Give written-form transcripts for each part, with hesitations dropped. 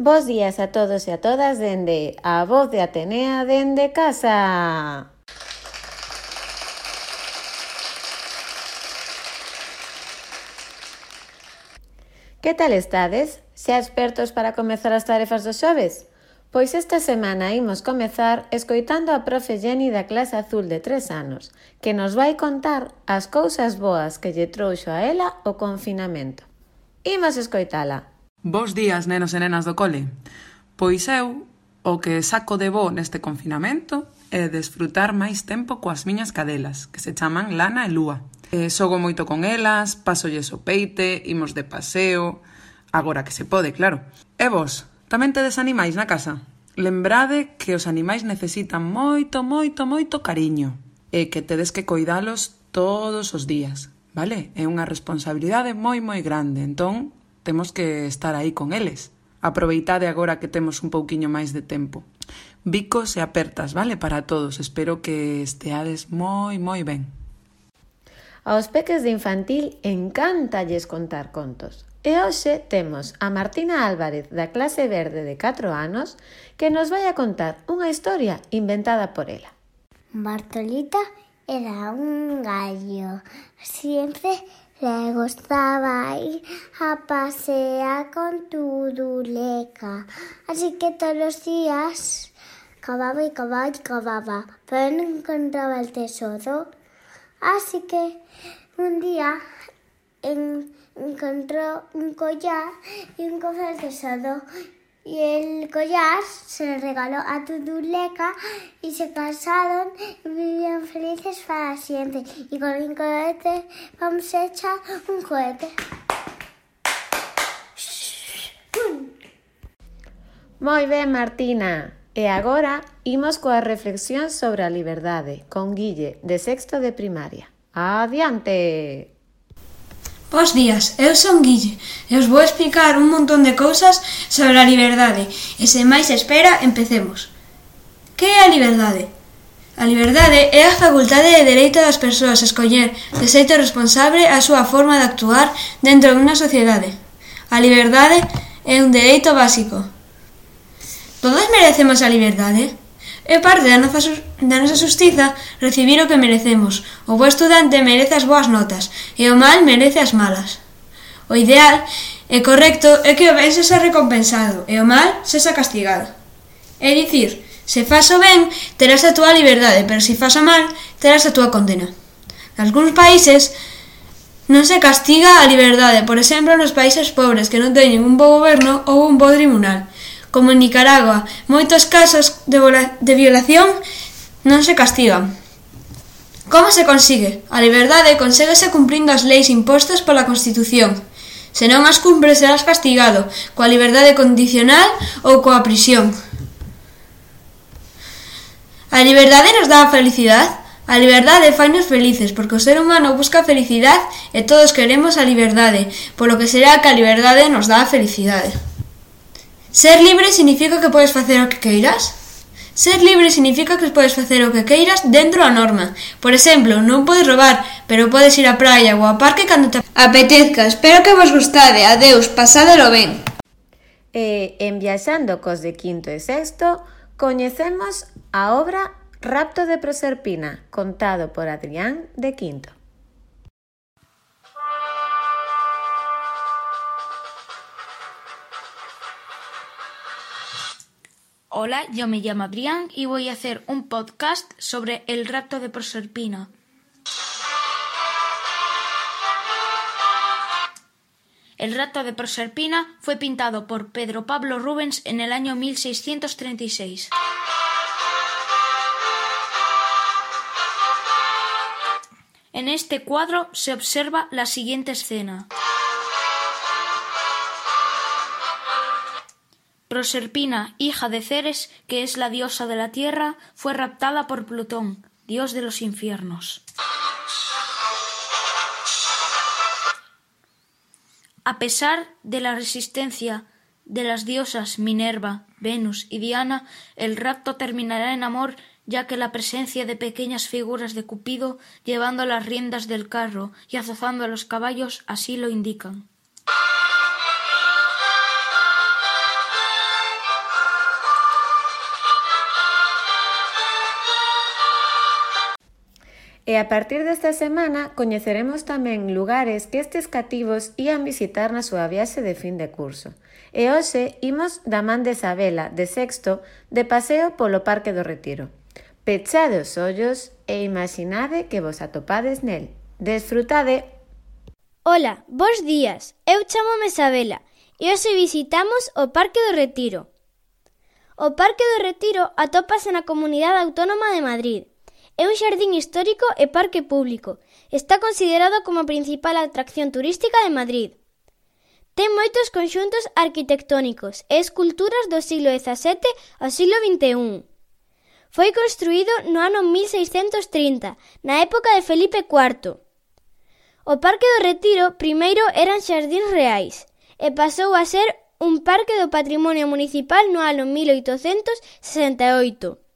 Bos días a todos e a todas dende a Voz de Atenea dende casa. Que tal estades? Xa expertos para comezar as tarefas dos xoves? Pois esta semana imos comezar escoitando a profe Jenny da clase azul de 3 anos, que nos vai contar as cousas boas que lle trouxo a ela o confinamento. Imos escoitala. Bos días, nenos e nenas do cole. Pois eu, o que saco de bo neste confinamento é desfrutar máis tempo coas miñas cadelas, que se chaman Lana e Lúa. Xogo moito con elas, pasolles o peite, imos de paseo, agora que se pode, claro. E vos, tamén tedes animais na casa? Lembrade que os animais necesitan moito cariño e que tedes que coidalos todos os días, vale? É unha responsabilidade moi grande, entón temos que estar aí con eles. Aproveitade agora que temos un pouquiño máis de tempo. Bicos e apertas, vale? Para todos. Espero que esteades moi ben. Aos peques de infantil encántalles contar contos. E hoxe temos a Martina Álvarez da clase verde de 4 anos que nos vai a contar unha historia inventada por ela. Bartolita era un gallo. Siempre le gustaba ir a pasear con Turuleca. Así que todos los días cavaba, pero no encontraba el tesoro. Así que un día encontró un collar y un cofre del tesoro. Y el collar se lo regaló a Turuleca y se casaron y vivían felices para siempre. Y con el cohete vamos a echar un cohete. Moi ben, Martina. E agora imos coa reflexión sobre a liberdade con Guille, de sexto de primaria. Adiante! Bos días, eu son Guille e os vou explicar un montón de cousas sobre a liberdade e sen máis espera, empecemos. Que é a liberdade? A liberdade é a facultade e dereito das persoas a escoller de xeito responsable a súa forma de actuar dentro dunha sociedade. A liberdade é un dereito básico. Todos merecemos a liberdade? É parte da nosa xustiza recibir o que merecemos. O bo estudante merece as boas notas e o mal merece as malas. O ideal e correcto é que o ben sexa recompensado e o mal sexa castigado. É dicir, se fas o ben, terás a túa liberdade, pero se fas o mal, terás a túa condena. Nalgúns países non se castiga a liberdade, por exemplo, nos países pobres que non teñen un bo goberno ou un bo tribunal. Como en Nicaragua, moitos casos de violación non se castigan. Como se consigue? A liberdade conséguese cumprindo as leis impostas pola Constitución. Se non as cumpres, serás castigado coa liberdade condicional ou coa prisión. A liberdade nos dá a felicidade? A liberdade fainos felices, porque o ser humano busca a felicidade e todos queremos a liberdade, polo que será que a liberdade nos dá a felicidade. Ser libre significa que podes facer o que queiras? Ser libre significa que podes facer o que queiras dentro da norma. Por exemplo, non podes roubar, pero podes ir á praia ou ao parque cando te apetezca. Espero que vos gustade. Adeus, pasádelo ben. En Viaxando cos de quinto e sexto, coñecemos a obra Rapto de Proserpina, contado por Adrián de quinto. Hola, yo me llamo Adrián y voy a hacer un podcast sobre el rapto de Proserpina. El rapto de Proserpina fue pintado por Pedro Pablo Rubens en el año 1636. En este cuadro se observa la siguiente escena. Proserpina, hija de Ceres, que es la diosa de la tierra, fue raptada por Plutón, dios de los infiernos. A pesar de la resistencia de las diosas Minerva, Venus y Diana, el rapto terminará en amor, ya que la presencia de pequeñas figuras de Cupido llevando las riendas del carro y azuzando a los caballos así lo indican. E a partir desta semana coñeceremos tamén lugares que estes cativos ían visitar na súa viaxe de fin de curso. E hoxe imos da man de Isabela, de sexto, de paseo polo Parque do Retiro. Pechade os ollos e imaginade que vos atopades nel. Desfrutade! Ola, bos días. Eu chámome Isabela e hoxe visitamos o Parque do Retiro. O Parque do Retiro atópase na Comunidade Autónoma de Madrid. É un xardín histórico e parque público. Está considerado como a principal atracción turística de Madrid. Ten moitos conxuntos arquitectónicos e esculturas do siglo XVII ao siglo XXI. Foi construído no ano 1630, na época de Felipe IV. O Parque do Retiro primeiro eran xardíns reais e pasou a ser un parque do patrimonio municipal no ano 1868.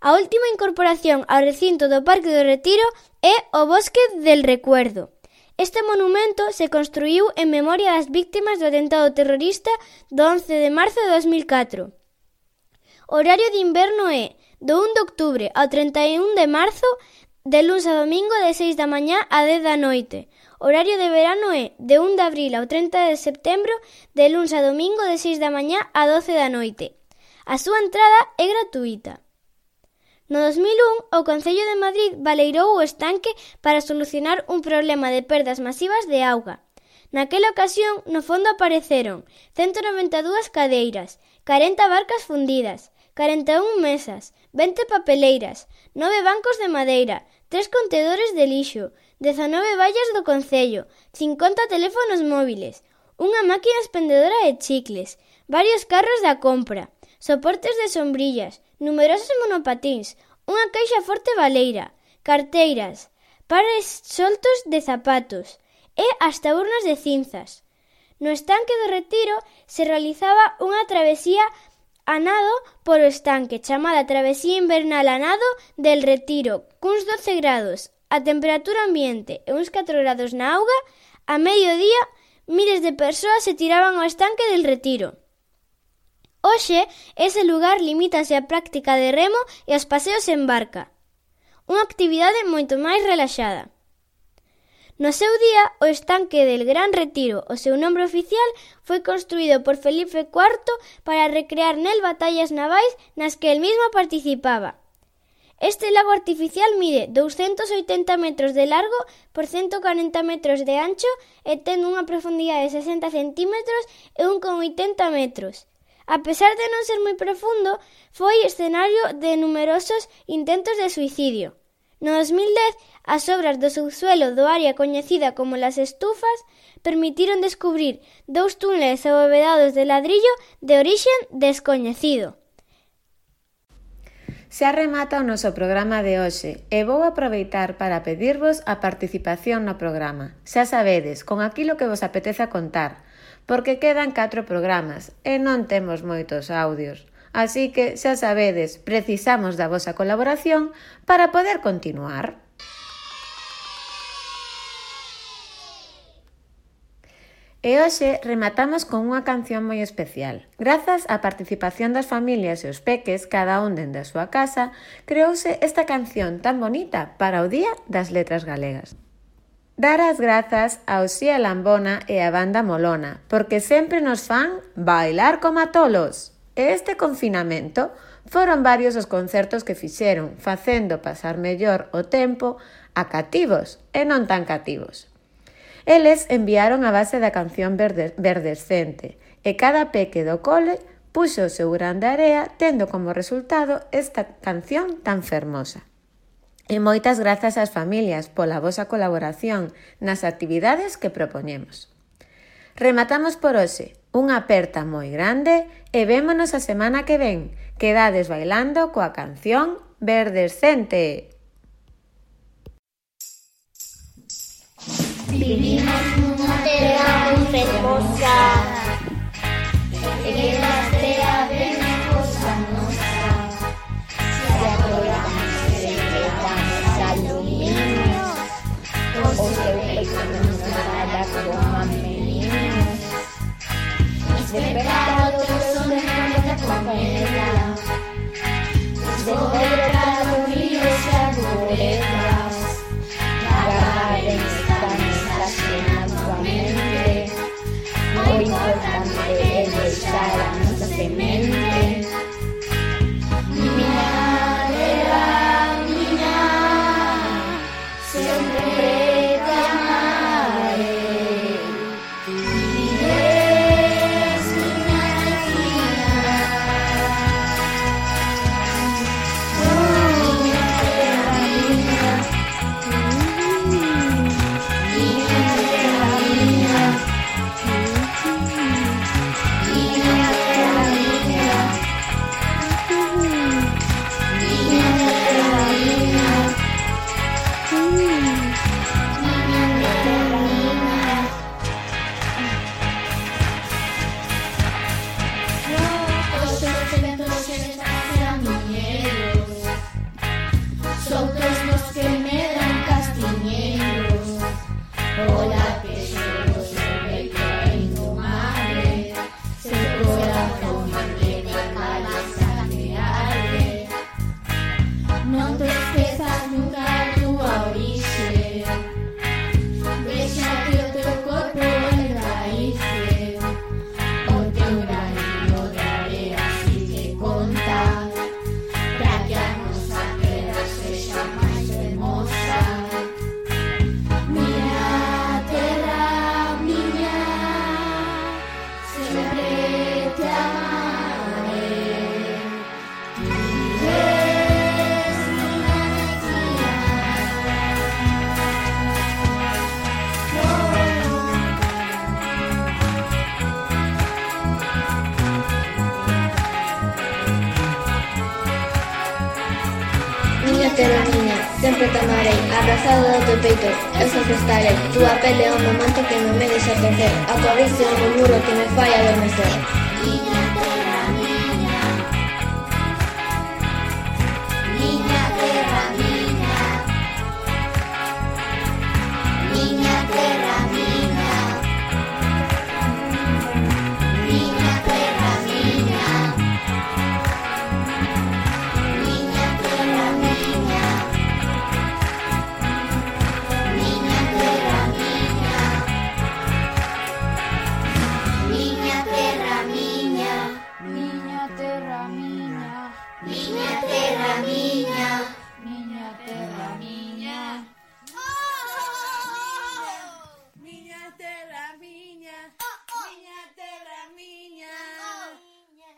A última incorporación ao recinto do Parque do Retiro é o Bosque del Recuerdo. Este monumento se construíu en memoria das víctimas do atentado terrorista do 11 de marzo de 2004. O horario de inverno é do 1 de outubro ao 31 de marzo, de luns a domingo de 6 da mañá a 10 da noite. O horario de verano é de 1 de abril ao 30 de setembro, de luns a domingo de 6 da mañá a 12 da noite. A súa entrada é gratuíta. No 2001, o Concello de Madrid baleirou o estanque para solucionar un problema de perdas masivas de auga. Naquela ocasión, no fondo apareceron 192 cadeiras, 40 barcas fundidas, 41 mesas, 20 papeleiras, 9 bancos de madeira, 3 contedores de lixo, 19 vallas do Concello, 50 teléfonos móviles, unha máquina expendedora de chicles, varios carros da compra, soportes de sombrillas, numerosos monopatíns, unha caixa forte baleira, carteiras, pares soltos de zapatos e hasta urnas de cinzas. No estanque do Retiro se realizaba unha travesía a nado polo estanque, chamada Travesía Invernal a nado del Retiro, cuns 12 grados, a temperatura ambiente e uns 4 grados na auga. A mediodía, miles de persoas se tiraban ao estanque del Retiro. Hoxe, ese lugar limítase á práctica de remo e aos paseos en barca, unha actividade moito máis relaxada. No seu día, o estanque del Gran Retiro, o seu nombre oficial, foi construído por Felipe IV para recrear nel batallas navais nas que el mismo participaba. Este lago artificial mide 280 metros de largo por 140 metros de ancho e ten unha profundidade de 60 centímetros e 1,80 metros. A pesar de non ser moi profundo, foi escenario de numerosos intentos de suicidio. No 2010, as obras do subsuelo do área coñecida como Las Estufas permitiron descubrir 2 túneles abovedados de ladrillo de orixen descoñecido. Xa remata o noso programa de hoxe e vou aproveitar para pedirvos a participación no programa. Xa sabedes, con aquilo que vos apeteza contar, porque quedan 4 programas e non temos moitos audios. Así que, xa sabedes, precisamos da vosa colaboración para poder continuar. E hoxe rematamos con unha canción moi especial. Grazas á participación das familias e os peques, cada un dende a súa casa, creouse esta canción tan bonita para o Día das Letras Galegas. Dar as grazas ao Xía Lambona e a Banda Molona, porque sempre nos fan bailar como tolos. E este confinamento foron varios os concertos que fixeron, facendo pasar mellor o tempo a cativos e non tan cativos. Eles enviaron a base da canción Verdescente e cada peque do cole puxo o seu grán de area tendo como resultado esta canción tan fermosa. E moitas grazas ás familias pola vosa colaboración nas actividades que propoñemos. Rematamos por hoxe. Unha aperta moi grande e vémonos a semana que ven. Quedades bailando coa canción Verdescente. Vivimos nunha terra moi fermosa e que nas terra ven cosa nosa. Se adoramos e celebramos al domingo, o seu peito nos nada como a meninos. Despertado son de nuestra compañera, de cobrar ríos y arboledas. te tomarei, abrazado do teu peito, eu sempre estarei. Túa pele é un monte que non me deixa crecer, a tua risa é un muro que me fai adormecer. Miña terra miña, miña terra miña, miña terra miña, miña terra miña, miña terra miña, miña terra miña, miña terra miña, miña terra miña, miña terra miña.